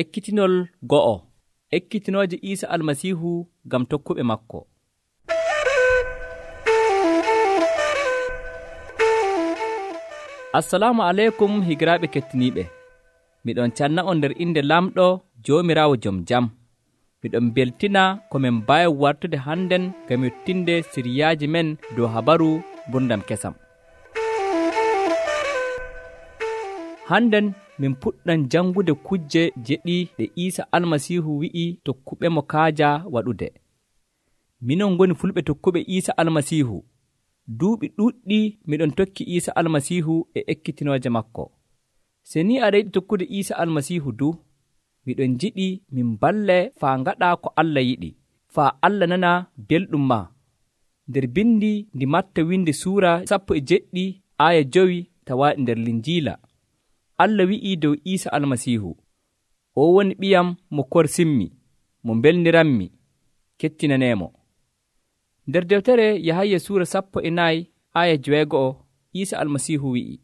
Ekkitinol go'o. Ekkitinooje Iisa Almasiihu ngam tokkuɓe makko. Assalamu aleykum higiraaɓe kettiniiɓe. Miɗon canna'on nder inde Lamɗo Joomiraawo Jom Jam. Miɗon beltina ko min mbaawi wartude hannden ngam yottinde siriyaaji men dow habaru gurdam kesam. Hannden min puɗɗan jangude kujje jeɗɗi ɗe Iisa Almasiihu wi'i tokkuɓemo kaaja waɗude. Minon ngoni fulɓe tokkuɓe Iisa Almasiihu. Duuɓi ɗuuɗɗi miɗon tokki Iisa Almasiihu e ekkitinooje makko. Se ni aɗa yiɗi tokkude Iisa Almasiihu du, miɗon jiɗi min balle faa ngaɗa ko Allah yiɗi, faa Allah nana belɗum ma. Nder bindi ndi Matta windi suura 17 aya 5 tawaaɗi nder Linjiila. Allah wi'ii dow Iisa Almasiihu, o woni ɓiyam mo korsimmi, mo belniranmi, kettinaneemo. Nder deftere Yahaya suura 14 aya 6 Iisa Almasiihu wi'i,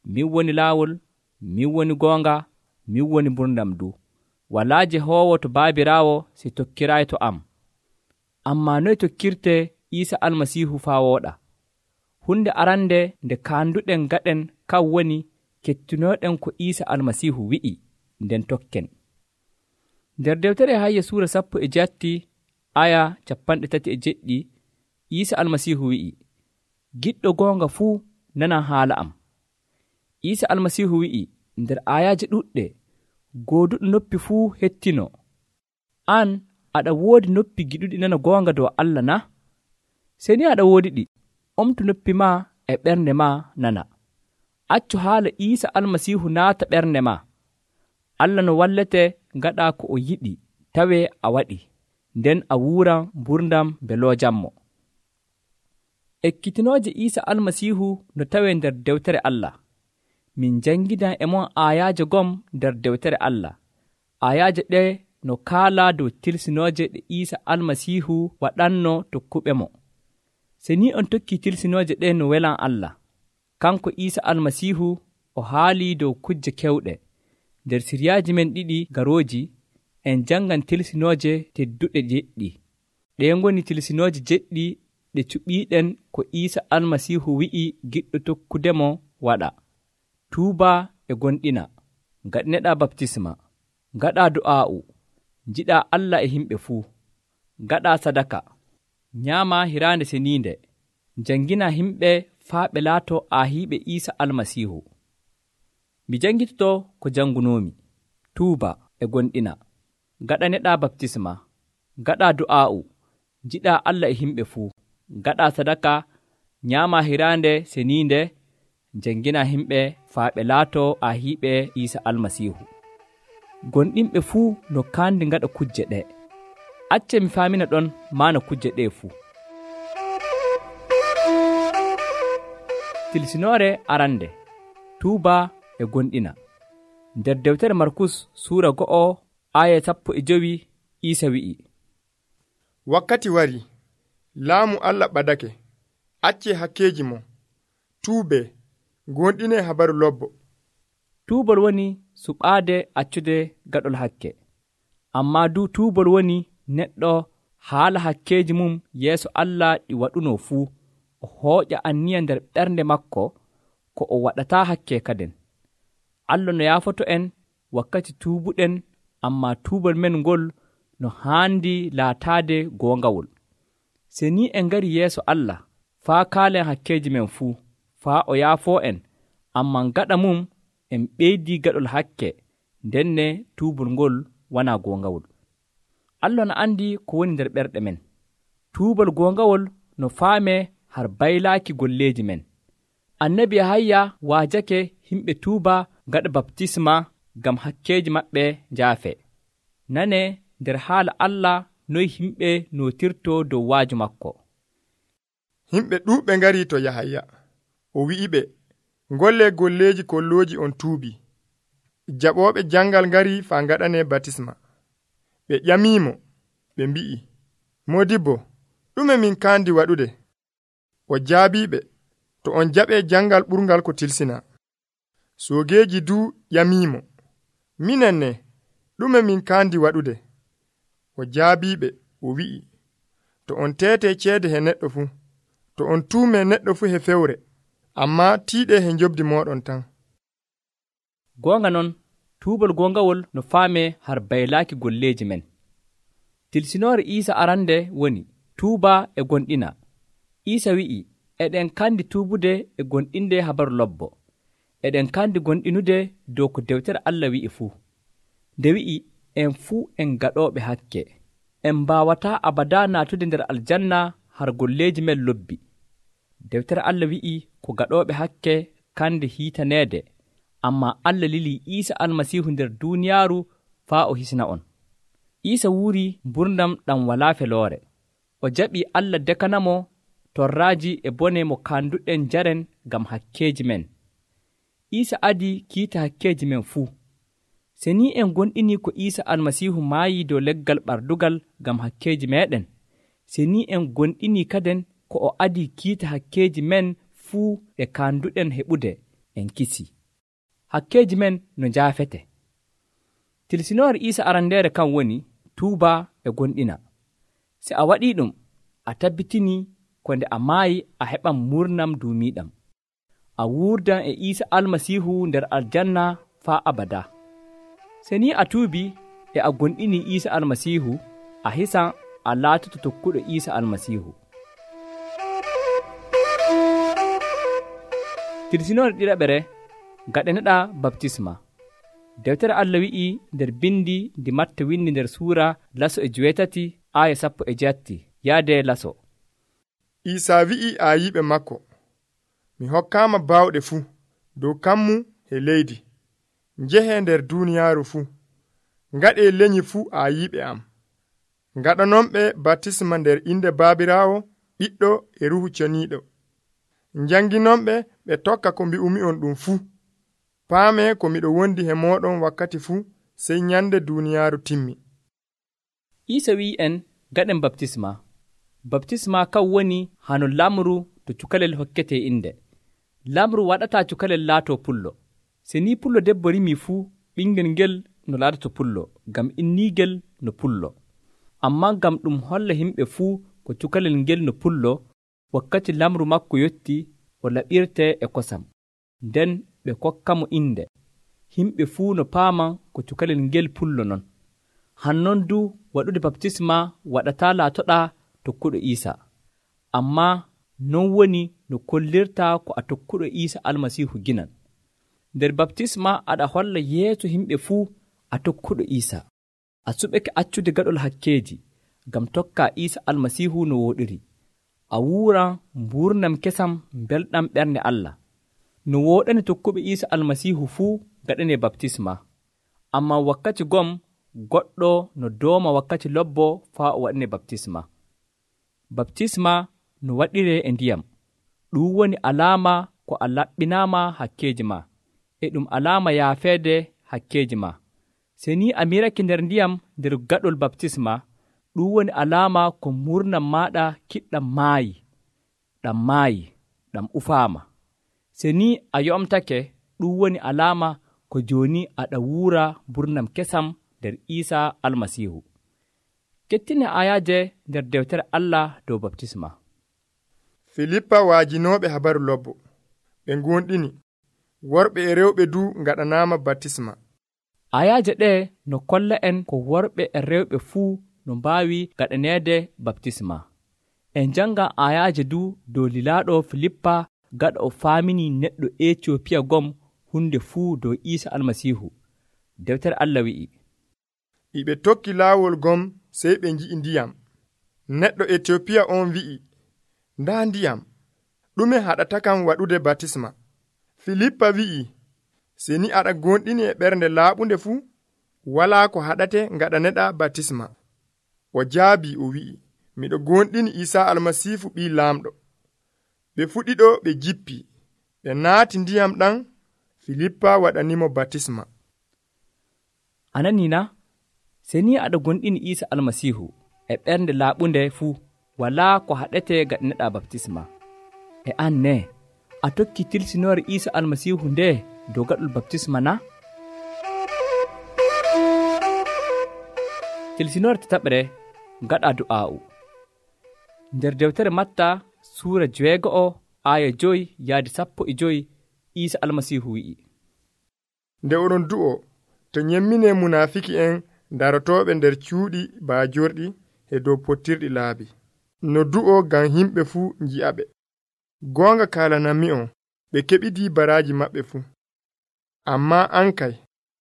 min woni laawol, min woni goonga, min woni gurdam du. Walaa Jehoowo to baabiraawo si tokkiraayi to am. Ammaa noye tokkirte Iisa Almasiihu faa wooɗa? Hunde arande nde kaanduɗen gaɗen kan woni kettinooɗen ko Iisa Almasiihu wi'i, nden tokken. Nder deftere Yahaya suura 17 aya 37 Iisa Almasiihu wi'i, giɗɗo goonga fuu nanan haala am. Iisa Almasiihu wi'i nder ayaaje ɗuɗɗe, gooduɗo noppi fuu hettino. An aɗa woodi noppi giɗuɗi nana goonga dow Allah na? Se ni aɗa woodi ɗi, omtu noppi ma e ɓernde ma nana. Accu haala Iisa Almasiihu naata ɓernde ma. Allah no wallete ngaɗa ko o yiɗi tawee a waɗi, nden a wuuran gurdam beloojammo. Ekkitinooje Iisa Almasiihu no tawee nder dewtere Allah. Min jangidan e mon ayaaje gom nder dewtere Allah. Ayaaje ɗe no kaalaa dow tilsinooje ɗe Iisa Almasiihu waɗanno tokkuɓe mo. Se ni on tokki tilsinooje ɗe no welan Allah. Kanko Iisa Almasiihu o haalii dow kujje kewɗe. Nder siriyaaji men ɗiɗi garooji en jangan tilsinooje tedduɗe jeɗɗi. Ɗe ngoni tilsinooje jeɗɗi ɗe cuɓiiɗen ko Iisa Almasiihu wi'i giɗɗo tokkudemo waɗa. Tuuba e gonɗina, ngaɗineɗa baptisma, ngaɗa du'aa'u, njiɗa Allah e himɓe fuu, ngaɗa sadaka, nyaama hiraande seniinde, jangina himɓe faa ɓe laato aahiiɓe Iisa Almasiihu. Mi jangitoto ko jangunoomi. Tuuba e gonɗina, ngaɗaneɗa baptisma, ngaɗa du'aa'u, njiɗa Allah e himɓe fuu, ngaɗa sadaka, nyaama hiraande seniinde, jangina himɓe faa ɓe laato aahiiɓe Iisa Almasiihu. Gonɗinɓe fuu no kaandi ngaɗa kujje ɗe. Acce mi faamina ɗon maana kujje ɗe fuu. Tilsinoore arande, tuuba e gonɗina. Nder dewtere Markus suura 1 aya 15 Iisa wi'i, wakkati wari, laamu Allah ɓadake, acce hakkeeji mo, tuube, gonɗine habaru lobbo. Tuubol woni suɓaade accude gaɗol hakke. Ammaa du tuubol woni neɗɗo haala hakkeeji mum yeeso Allah ɗi waɗuno fuu, o hooƴa anniya nder ɓernde makko ko o waɗataa hakke kaden. Allah no yaafoto en wakkati tuubuɗen, ammaa tuubol men ngol no haandi laataade goongawol. Se ni en ngari yeeso Allah, faa kaalen hakkeeji men fuu, faa o yaafoo en, ammaa gaɗa mum en ɓeydii gaɗol hakke, ndenne tuubol ngol wonaa goongawol. Allah no anndi ko woni nder ɓerɗe men. Tuubol goongawol no faamee har baylaaki golleeji men. Annabi Yahaya waajake himɓe tuuba gaɗa baptisma ngam hakkeeji maɓɓe njaafe. Nane nder haala Allah noy himɓe nootirto dow waaju makko. Himɓe ɗuuɓɓe ngari to Yahaya. O wi'iɓe, ngolle golleeji kollooji on tuubi. Jaɓooɓe jangal ngari faa ngaɗane baptisma. Ɓe ƴamiimo, ɓe mbi'i, Modibbo, ɗume min kaandi waɗude? O jaabiɓe, to on jaɓe jangal ɓurgal ko tilsina. Soogeeji du ƴamiimo, minen ne ɗume min kaandi waɗude? O jaabiɓe o wi'i, to on tete ceede he neɗɗo fuu, to on tuume neɗɗo fuu he fewre, amma tiiɗe he njobdi mooɗon tan. Goonga non, tuubol goongawol no faame har baylaaki golleeji men. Tilsinoore Iisa arande woni tuuba e gonɗina. Iisa wi'i, eɗen kandi tuubude e gonɗinde habaru lobbo. Eɗen kandi gonɗinude dow ko dewtere Allah wi'i fuu. Nde wi'i, en fuu en gaɗooɓe hakke. En mbaawataa abadaa naatude nder aljanna har golleeji men lobbi. Dewtere Allah wi'i ko gaɗooɓe hakke kande hiitaneede, ammaa Allah lilii Iisa almasiihu nder duuniyaaru faa o hisna on. Iisa wuuri mburnam ɗam walaa feloore. O jaɓii Allah dekanamo torraaji e bone mo kaanduɗen njaren ngam hakkeeji men. Iisa adii kiita hakkeeji men fuu. Se ni en gonɗini ko Iisa almasiihu maayii dow leggal ɓardugal ngam hakkeeji meeɗen, se ni en gonɗini kaden ko o adii kiita hakkeeji men fuu ɗe kaanduɗen heɓude, en kisii. Hakkeeji men no njaafete. Tilsinoore Iisa arandeere kan woni tuuba e gonɗina. Se a waɗii ɗum, a tabbitinii ko nde a maayi a heɓan murnam duumiiɗam. A wuurdan e Iisa almasiihu nder aljanna faa abadaa. Se ni a tuubii e a gonɗinii Iisa almasiihu, a hisan a laatoto tokkuɗo Iisa almasiihu. Tilsinoore ɗiɗaɓere gaɗaneɗaa baptisma. Dewtere Allah wi'i nder bindi ndi Matta windi nder suura laso e 8 aaya 17 yaade laso. Iisa wi'i aayiɓe makko, mi hokkaama baawɗe fuu dow kammu e leydi. Njehee nder duuniyaaru fuu, ngaɗee lenyyi fuu aayiɓe am. Ngaɗanonɓe baptisma nder inde Baabiraawo, Ɓiɗɗo e Ruuhu Ceniiɗo. Njanginonɓe ɓe tokka ko mbi'umi'on ɗum fuu. Paame ko miɗo wondi he mooɗon wakkati fuu, sey nyande duuniyaaru timmi. Iisa wi'i en gaɗen baptisma. Baptisma kan woni hano lamru to cukalel hokkete inde. Lamru waɗataa cukalel laatoo pullo. Se ni pullo debbo rimii fuu, ɓingel ngel no laatoto pullo, ngam inniigel no pullo. Ammaa ngam ɗum holla himɓe fuu ko cukalel ngel no pullo, wakkati lamru makko yotti o laɓirte e kosam. Nden ɓe kokkamo inde. Himɓe fuu no paaman ko cukalel ngel pullo non. Hannon du waɗude baptisma waɗataa laatoɗaa tokkuɗo Iisa. Ammaa non woni no kollirtaa ko a tokkuɗo Iisa almasiihu ginan. Nder baptisma aɗa holla yeeso himɓe fuu a tokkuɗo Iisa. A suɓake accude gaɗol hakkeeji, ngam tokkaa Iisa almasiihu no wooɗiri. A wuuran mburnam kesam belɗam ɓernde Allah. No wooɗani tokkuɓe Iisa almasiihu fuu gaɗanee baptisma. Ammaa wakkati gom goɗɗo no dooma wakkati lobbo faa o waɗanee baptisma. Baptisma no waɗiree e ndiyam. Ɗum woni alaama ko a laɓɓinaama hakkeeji ma, e ɗum alaama yaafeede hakkeeji ma. Se ni a mirake nder ndiyam nder gaɗol baptisma, ɗum woni alaama ko murnam maaɗa kiɗɗam maayi, ɗam ufaama. Se ni a yo'omtake, ɗum woni alaama ko jooni aɗa wuura burnam kesam nder Iisa almasiihu. Kettine ayaaje nder dewtere Allah dow baptisma. Filippa waajinooɓe habaru lobbo. Ɓe ngonɗini, worɓe e rewɓe du ngaɗanaama baptisma. Ayaaje ɗe no kolla en ko worɓe e rewɓe fuu no mbaawi gaɗaneede baptisma. En jannga ayaaje du dow lilaaɗo Filippa gaɗa o faaminii neɗɗo Ecoopiya gom hunde fuu dow Iisa almasiihu. Dewtere Allah wi'i, ɓe tokki laawol gom sey ɓe ngi'i ndiyam. Neɗɗo Etiopiya on wi'i, ndaa ndiyam, ɗume haɗatakam waɗude baptisma? Filippa wi'i, se ni aɗa gonɗini e ɓernde laaɓunde fuu, walaa ko haɗate ngaɗaneɗa baptisma. O jaabi o wi'i, miɗo gonɗini Iisa almasiihu ɓii laamɗo. Ɓe fuɗiɗo ɓe jippi, ɓe naati ndiyam ɗan. Filippa waɗanimo baptisma. Ananina, se ni aɗa gonɗini Iisa almasiihu e ɓernde laaɓunde fuu, walaa ko haɗete gaɗaneɗa baptisma. E an ne, a tokki tilsinoore Iisa almasiihu nde dow gaɗol baptisma na? Tilsinore tataɓre ngaɗa du'aa'u. Nder deftere Matta suura 6 aaya 5 yaadi 15 Iisa Almasiihu wi'i: nde oɗon du'o to nyemmine munaafiki'en darotooɓe nder cuuɗi baajorɗi e dow pottirɗi laabi, no du'o ngam himɓe fuu nji'aɓe. Goonga kaalanammi'on, ɓe keɓidii baraaji maɓɓe fuu. Ammaa an kay,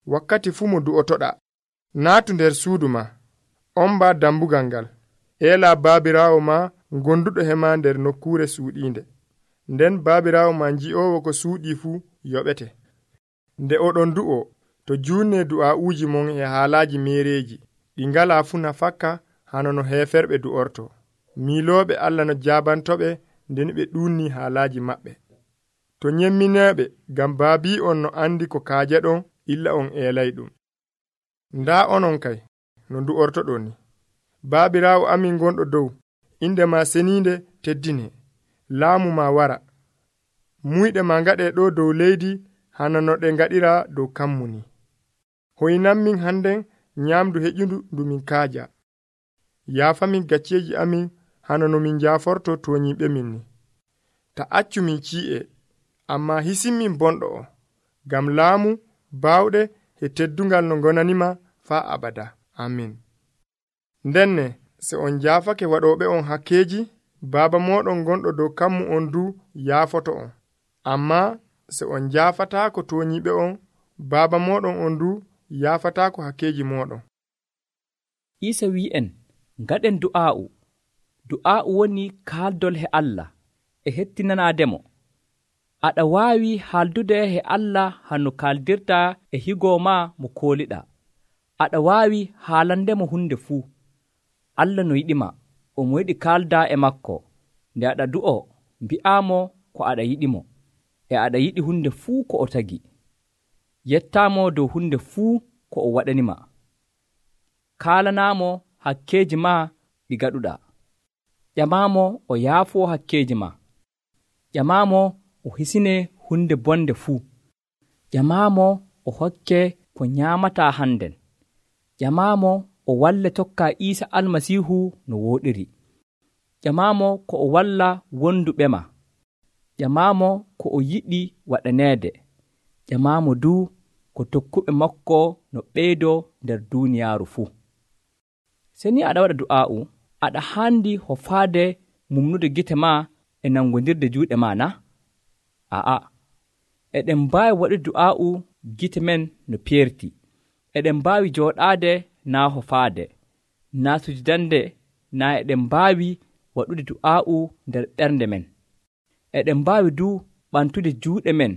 wakkati fuu mo du'otoɗa, naatu nder suudu ma, ombaa dambugal ngal, eelaa baabiraawo ma gonduɗo hema nder nokkuure suuɗiinde. Nden baabiraawo ma nji'oowo ko suuɗii fuu yoɓete. Nde oɗon du'o, to juunne du'aa'uuji mon e haalaaji meereeji ɗi ngalaa fuu nafakka hano no heeferɓe du'orto. Miilooɓe Allah no jaabantoɓe nden ɓe ɗuunnii haalaaji maɓɓe. To nyemmineeɓe ngam baabi'on no andi ko kaajeɗon illa on eelayɗum. Ndaa onon kay no ndu'ortoɗon ni. Baabiraawo amin gonɗo dow, inde ma seniinde teddine, laamu ma wara. Muyɗe ma ngaɗee ɗo dow leydi hana no ɗe ngaɗira dow kammu ni. Hoynanmin hannden nyaamdu heƴundu ndu min kaaja. Yaafamin gacceeji amin hana no min jaaforto tooñiiɓe min ni. Ta accu min cii'e, ammaa hisinmin bonɗo o, ngam laamu, baawɗe e teddungal no gonanima faa abada. Amin. Ndenne se on jaafake waɗooɓe on hakkeeji, Baaba mooɗon gonɗo dow kammu on du yaafoto on. Ammaa se on jaafataako tooñiiɓe on, Baaba mooɗon on du yaafataako hakkeeji mooɗon. Iisa wi'en ngaɗen du'aa'u. Du'aa'u woni kaaldol he Allah e hettinanaademo. Aɗa waawi haaldude he Allah hanno kaaldirta e higoo ma mo kooliɗaa. Aɗa waawi haalandemo hunde fuu. Allah no yiɗima, omo yiɗi kaaldaa e makko. Nde aɗa du'o, mbi'aamo ko aɗa yiɗimo, e aɗa yiɗi hunde fuu ko o tagi. Yettaamo dow hunde fuu ko o waɗanima. Kaalanaamo hakkeeji ma ɗi gaɗuɗaa. Ƴamaamo o yaafoo hakkeeji ma. Ƴamaamo o hisine hunde bonde fuu. Ƴamaamo o hokke ko nyaamataa hannden. Ƴamaamo o walle tokka Iisa Almasiihu no wooɗiri. Ƴamaamo ko o walla wonduɓe ma. Ƴamaamo ko o yiɗi waɗaneede. Ƴamaamo du ko tokkuɓe makko no ɓeydoo nder duuniyaaru fuu. Se ni aɗa waɗa du'aa'u, aɗa haandi hofaade mumnude gite ma e nangondirde juuɗe ma na? A'a, eɗen mbaawi waɗude du'aa'u gite men no peerti. Eɗen mbaawi jooɗaade naa hofaade, naa sujudande, naa eɗen mbaawi waɗude du'aa'u nder ɓernde men. Eɗen mbaawi du ɓantude juuɗe men.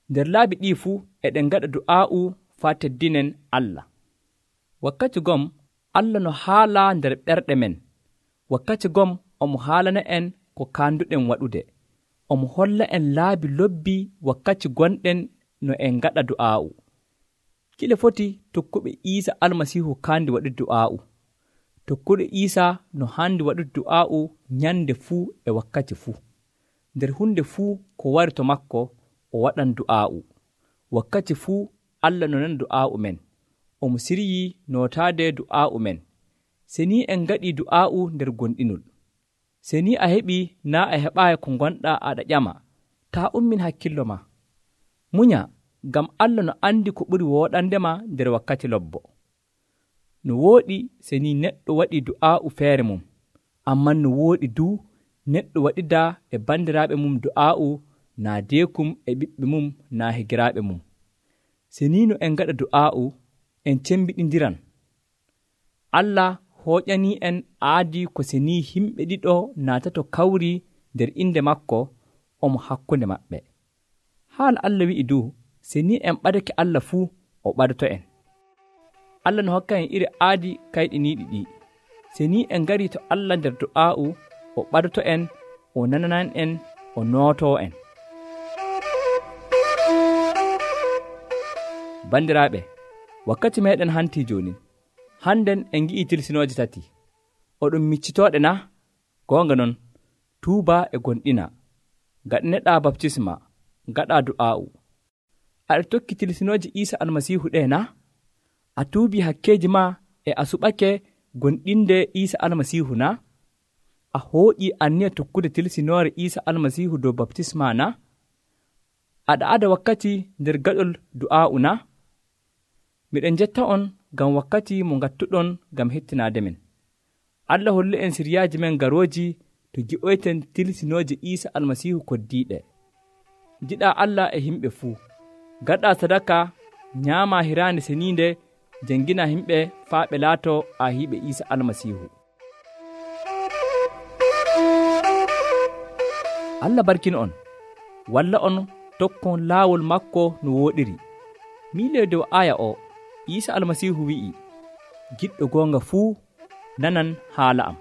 Nder laabi ɗii fuu eɗen ngaɗa du'aa'u faa teddinen Allah. Wakkati gom Allah no haala nder ɓerɗe men. Wakkati gom omo haalana en ko kaanduɗen waɗude. Omo holla en laabi lobbi wakkati gonɗen no en ngaɗa du'aa'u. Kile foti tokkuɓe Iisa Almasiihu kaandi waɗude du'aa'u. Tokkuɗo Iisa no haandi waɗude du'aa'u nyande fuu e wakkati fuu. Nder hunde fuu ko wari to makko o waɗan du'aa'u. Wakkati fuu Allah no nana du'aa'u men. Omo siryii nootaade du'aa'u men. Se ni en ngaɗii du'aa'u nder gonɗinol. Se ni a heɓii naa a heɓaayi ko gonɗaa aɗa ƴama, taa ummin hakkillo ma. Munya, ngam Allah no andi ko ɓuri wooɗandema nder wakkati lobbo. No wooɗi se ni neɗɗo waɗii du'aa'u feere mum, amman no wooɗi du neɗɗo waɗida e bandiraaɓe mum du'aa'u naa deekum e ɓiɓɓe mum naa higiraaɓe mum. Se ni no en ngaɗa du'aa'u, en cembiɗindiran. Allah hooƴanii en aadi ko se ni himɓe ɗiɗo naatato kawri nder inde makko, omo hakkunde maɓɓe. Haala Allah wi'i du, se ni en ɓadake Allah fuu, o ɓadoto en. Allah no hokka en iri aadi kayɗiniiɗi ɗi. Se ni en ngarii to Allah nder du'aa'u, o ɓadoto en, o nananan en, o nootoo en. Bandiraaɓe, wakkati meɗen hantii jooni. Hannden en ngi'ii tilsinooje 3. Oɗon miccitooɗe na? Goonga non, tuuba e gonɗina. Gaɗaneɗaa baptisma, ngaɗaa du'aa'u. Aɗa tokki tilsinooje Iisa Almasiihu ɗee na? A tuubii hakkeeji ma e a suɓake gonɗinde Iisa almasiihu na? A hooƴii anniya tokkude tilsinoore Iisa almasiihu dow baptisma na? Aɗa ada wakkati nder gaɗol du'aa'u na? Miɗen jetta on ngam wakkati mo ngattuɗon ngam hettinaade men. Allah holle en siryaaji men garooji to gi'oyten tilsinooje Iisa almasiihu koddiiɗe. Njiɗaa Allah e himɓe fuu. Gaɗaa sadaka, nyaamaa hiraande seniinde, janngina himɓe faa ɓe laatoo aahiiɓe Iisa almasiihu. Allah barkin on, walla on tokkon laawol makko no wooɗiri. Miile dow aya o, Iisa almasiihu wi'i, giɗɗo goonga fuu nanan haala am.